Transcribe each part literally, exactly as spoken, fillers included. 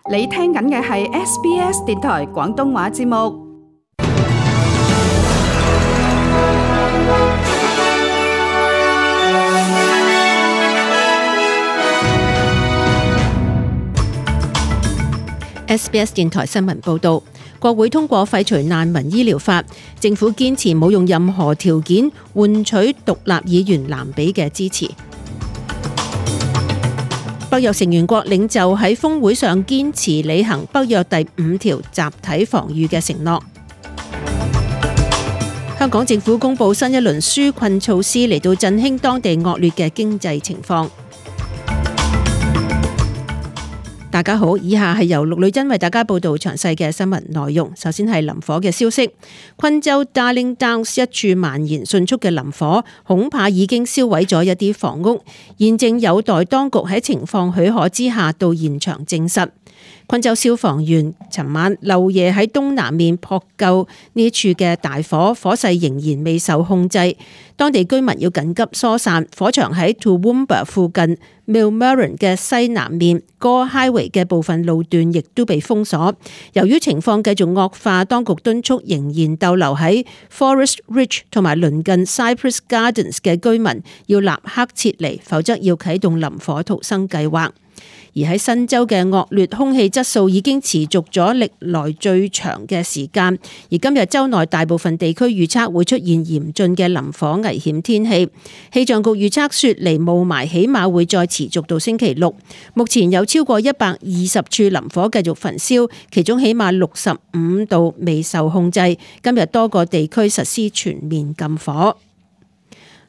你聽緊嘅係 S B S 電台廣東話節目。S B S 電台新聞報道，國會通過廢除難民醫療法，政府堅持冇用任何條件換取獨立議員藍比嘅支持。北約成員國領袖喺峰會上堅持履行北約第五條集體防禦嘅承諾。香港政府公布新一輪紓困措施嚟到振興當地惡劣嘅經濟情況。大家好，以下係由陸女珍為大家報道詳細嘅新聞內容。首先係林火嘅消息，昆州 Darling Downs 一處蔓延迅速嘅林火，恐怕已經燒毀咗一啲房屋，現正有待當局喺情況許可之下到現場證實。昆州消防員尋晚漏夜喺東南面撲救呢處嘅大火，火勢仍然未受控制，當地居民要緊急疏散。火場喺 Toowoomba 附近 Millmerran 嘅西南面 Gore Highway 嘅部分路段亦都被封鎖。由於情況繼續惡化，當局敦促仍然逗留喺 Forest Ridge 同埋鄰近 Cypress Gardens 嘅居民要立刻撤離，否則要啟動林火逃生計劃。而喺新州嘅惡劣空氣質素已經持續咗歷來最長嘅時間，而今日州內大部分地區預測會出現嚴峻嘅林火危險天氣。氣象局預測雪梨霧霾起碼會再持續到星期六。目前有超過一百二十處林火繼續焚燒，其中起碼六十五度未受控制。今日多個地區實施全面禁火。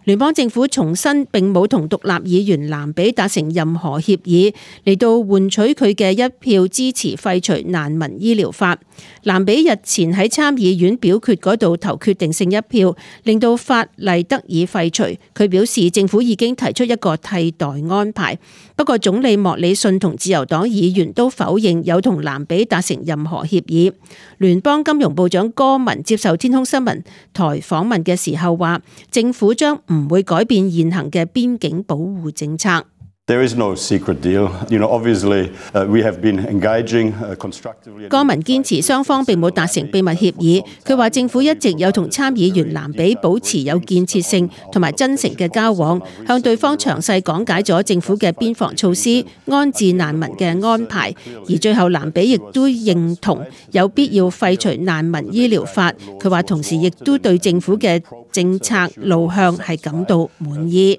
聯邦政府重申並冇同獨立議員藍比達成任何協議嚟到換取佢嘅一票支持廢除難民醫療法。藍比日前喺參議院表決嗰度投決定性一票，令到法例得以廢除。佢表示政府已經提出一個替代安排，不過總理莫里遜同自由黨議員都否認有同藍比達成任何協議。聯邦金融部長戈文接受天空新聞台訪問嘅時候話，政府將唔會改變現行嘅邊境保護政策。There is no secret deal. You know, obviously, uh, we have been engaging constructively. 戈文堅持雙方並冇達成秘密協議。佢話政府一直有同參議員藍比保持有建設性同埋真誠嘅交往，向對方詳細講解咗政府嘅邊防措施、安置難民嘅安排。而最後藍比亦都認同有必要廢除難民醫療法。佢話同時亦都對政府嘅政策路向係感到滿意。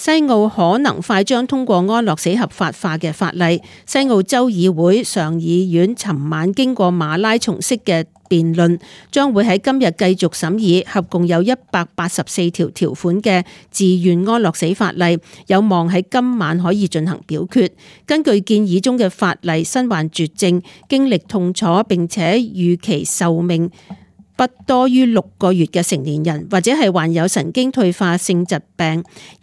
西澳可能快將通過安樂死合法化嘅法例。西澳州議會上議院尋晚經過馬拉松式嘅辯論，將會喺今日繼續審議合共有一百八十四條條款嘅自願安樂死法例，有望喺今晚可以進行表決。根據建議中嘅法例，身患絕症、經歷痛楚並且預期壽命不多於六個月嘅成年人，或者係患有神經退化性疾病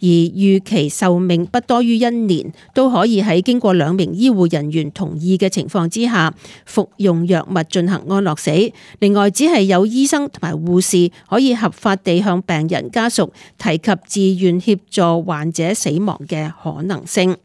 而預期壽命不多於一年，都可以喺經過兩名醫護人員同意嘅情況之下服用藥物進行安樂死。另外，只係有醫生同埋護士可以合法地向病人家屬提及自願協助患者死亡嘅可能性。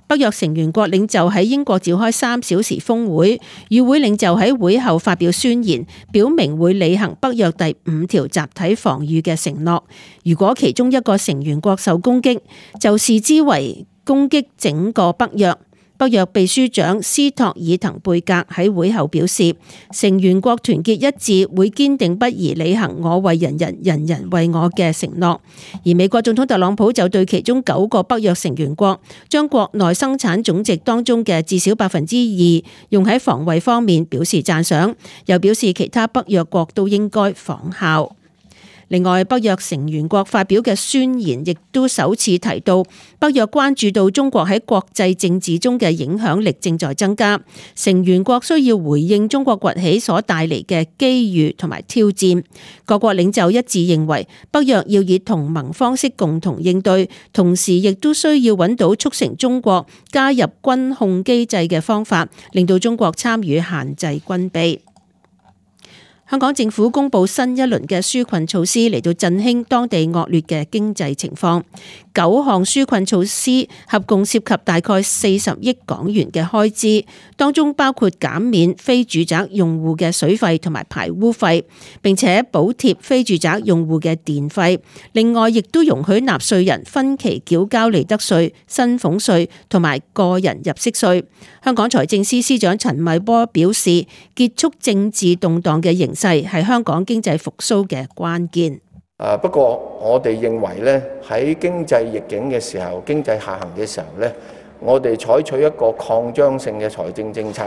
北約成員國領袖喺英國召開三小時峰會，與會領袖喺會後發表宣言，表明會履行北約第五條集體防禦嘅承諾。如果其中一個成員國受攻擊，就視之為攻擊整個北約。北約秘書長斯托爾滕貝格喺會後表示，成員國團結一致，會堅定不移履行我為人人，人人為我嘅承諾。而美國總統特朗普就對其中九個北約成員國將國內生產總值當中嘅至少百分之二用喺防衛方面表示讚賞，又表示其他北約國都應該仿效。另外，北約成員國發表嘅宣言亦都首次提到，北約關注到中國喺國際政治中嘅影響力正在增加，成員國需要回應中國崛起所帶嚟嘅機遇同埋挑戰。各國領袖一致認為，北約要以同盟方式共同應對，同時亦都需要揾到促成中國加入軍控機制嘅方法，令到中國參與限制軍備。香港政府公布新一輪嘅紓困措施嚟到振興當地惡劣嘅經濟情況，九項紓困措施合共涉及大概四十億港元嘅開支，當中包括減免非住宅用戶嘅水費同埋排污費，並且補貼非住宅用戶嘅電費。另外，亦都容許納稅人分期繳交利得稅、薪俸稅同埋個人入息稅。香港財政司司長陳茂波表示，結束政治動盪嘅形勢係香港經濟復甦嘅關鍵。誒不過，我哋認為咧，喺經濟逆境嘅時候、經濟下行嘅時候咧，我哋採取一個擴張性嘅財政政策。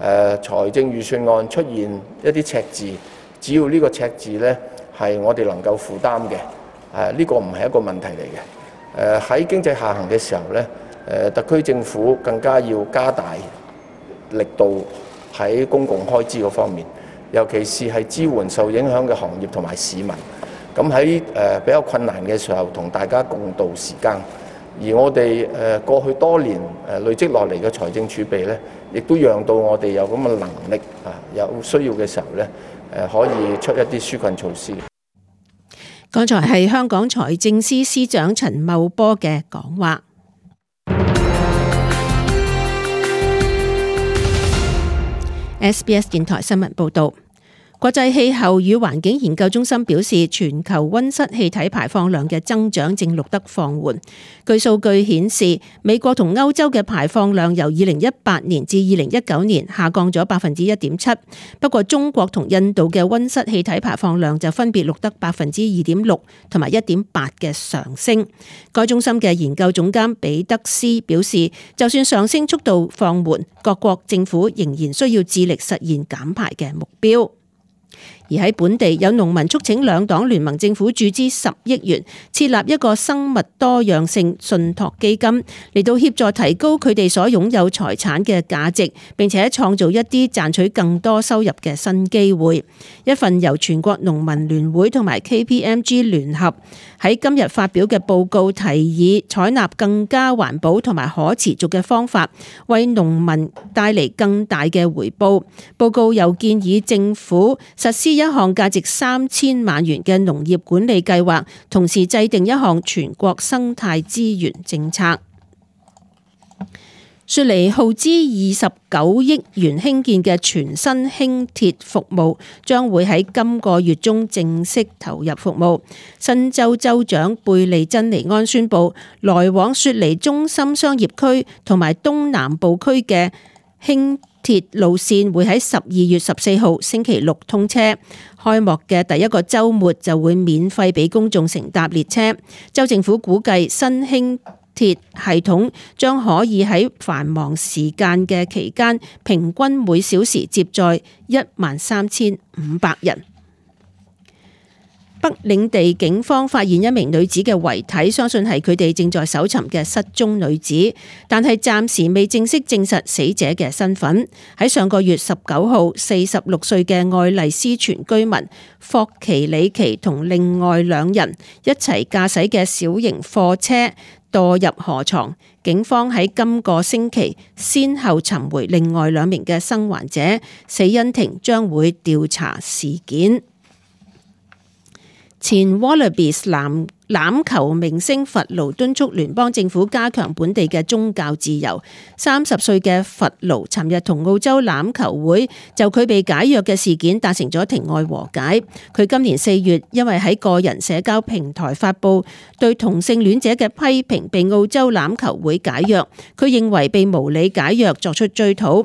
誒財政預算案出現一啲赤字，只要呢個赤字咧係我哋能夠負擔嘅，誒呢個唔係一個問題嚟嘅。誒喺經濟下行嘅時候咧，誒特區政府更加要加大力度喺公共開支嗰方面，尤其是係支援受影響嘅行業同埋市民。咁喺誒比較困難嘅時候，同大家共度時間。而我哋誒過去多年誒累積落嚟嘅財政儲備咧，亦都讓到我哋有咁嘅能力啊，有需要嘅時候咧，誒可以出一啲紓困措施。剛才係香港財政司司長陳茂波嘅講話。S B S 電台新聞報導。國際氣候與環境研究中心表示，全球溫室氣體排放量嘅增長正錄得放緩。據數據顯示，美國同歐洲嘅排放量由二零一八年至二零一九年下降咗百分之一點七，不過中國同印度嘅溫室氣體排放量就分別錄得百分之二點六同埋一點八嘅上升。該中心嘅研究總監彼得斯表示，就算上升速度放緩，各國政府仍然需要致力實現減排嘅目標。而喺本地，有農民促請兩黨聯盟政府注資十億元，設立一個生物多樣性信託基金，嚟到協助提高佢哋所擁有財產嘅價值，並且創造一啲賺取更多收入嘅新機會。一份由全國農民聯會同埋 K P M G 聯合喺今日發表嘅報告，提議採納更加環保同埋可持續嘅方法，為農民帶嚟更大嘅回報。報告又建議政府實施一項價值三千萬元嘅農業管理計劃，同時制定一項全國生態資源政策。雪梨耗資二十九億元興建嘅全新輕鐵服務將會喺今個月中正式投入服務。新州州長貝利珍尼安宣布，來往雪梨中心商業區同埋東南部區嘅輕鐵路線會喺十二月十四號星期六通車。開幕嘅第一個週末就會免費俾公眾乘搭列車。州政府估計新輕鐵系統將可以喺繁忙時間嘅期間，平均每小時接載一萬三千五百人。北領地警方發現一名女子嘅遺體，相信係佢哋正在搜尋嘅失蹤女子，但係暫時未正式證實死者嘅身份。喺上個月十九號，四十六歲嘅愛麗斯泉居民霍奇里奇同另外兩人一齊駕駛嘅小型貨車墮入河床。警方喺今個星期先後尋回另外兩名嘅生還者，死因庭將會調查事件。前 Wallabies 籃欖球明星弗勞敦促聯邦政府加強本地嘅宗教自由。三十歲嘅弗勞尋日同澳洲欖球會就佢被解約嘅事件達成咗庭外和解。佢今年四月因為喺個人社交平台發布對同性戀者嘅批評，被澳洲欖球會解約。佢認為被無理解約作出追討。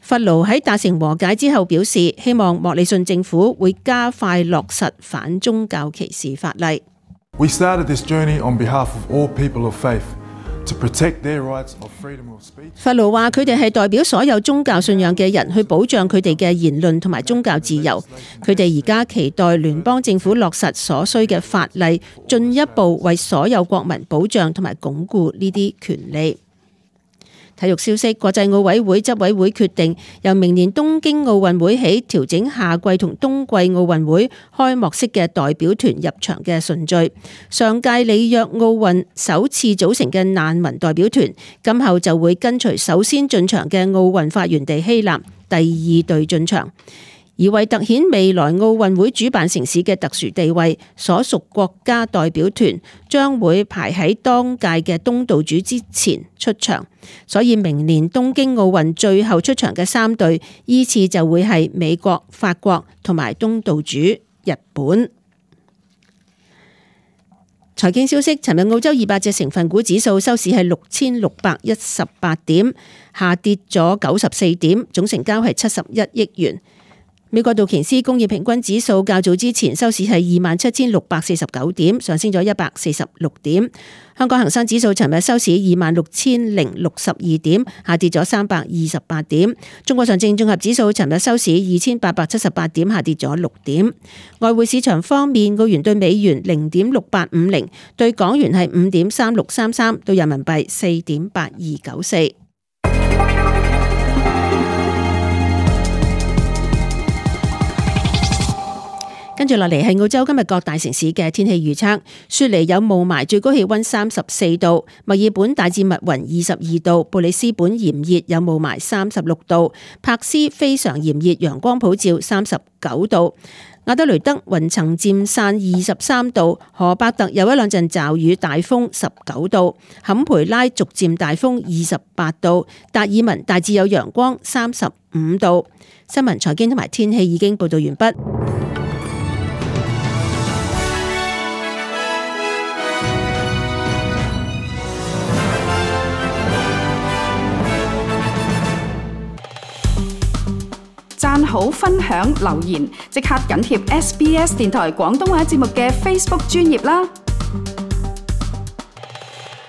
弗勞喺達成和解之後表示，希望莫里遜政府會加快落實反宗教歧視法例。We started this journey on behalf of all people of faith to protect their rights of freedom of speech。弗勞話：佢哋係代表所有宗教信仰嘅人，去保障佢哋嘅言論同埋宗教自由。佢哋而家期待聯邦政府落實所需嘅法例，進一步為所有國民保障同埋鞏固呢啲權利。體育消息，國際奧委會執委會決定由明年東京奧運會起調整夏季同冬季奧運會開幕式嘅代表團入場嘅順序。上屆里約奧運首次組成嘅難民代表團，今後就會跟隨首先進場嘅奧運發源地希臘第二隊進場。而為突顯未來奧運會主辦城市嘅特殊地位，所屬國家代表團將會排喺當屆嘅東道主之前出場，所以明年東京奧運最後出場嘅三隊依次就會係美國、法國同埋東道主日本。財經消息，尋日澳洲二百隻成分股指數收市係六千六百一十八點，下跌咗九十四點，總成交係七十一億元。美國道瓊斯工業平均指數較早之前收市係二萬七千六百四十九點，上升咗一百四十六點。香港恒生指數尋日收市二萬六千零六十二點，下跌咗三百二十八點。中國上證綜合指數尋日收市二千八百七十八點，下跌咗六點。外匯市場方面，澳元對美元零點六八五零，對港元係五點三六三三，對人民幣四點八二九四。跟住落嚟係澳洲今日各大城市嘅天氣預測。雪梨有霧霾，最高氣溫三十四度；墨爾本大致密雲，二十二度；布里斯本炎熱，有霧霾，三十六度；柏斯非常炎熱，陽光普照，三十九度；亞德雷德雲層漸散，二十三度；荷伯特有一兩陣驟雨，大風，十九度；坎培拉逐漸大風，二十八度；達爾文大致有陽光，三十五度。新聞、財經同埋天氣已經報道完畢。讚好、分享、留言，即刻緊貼 S B S 電台廣東話節目嘅 Facebook 專頁啦！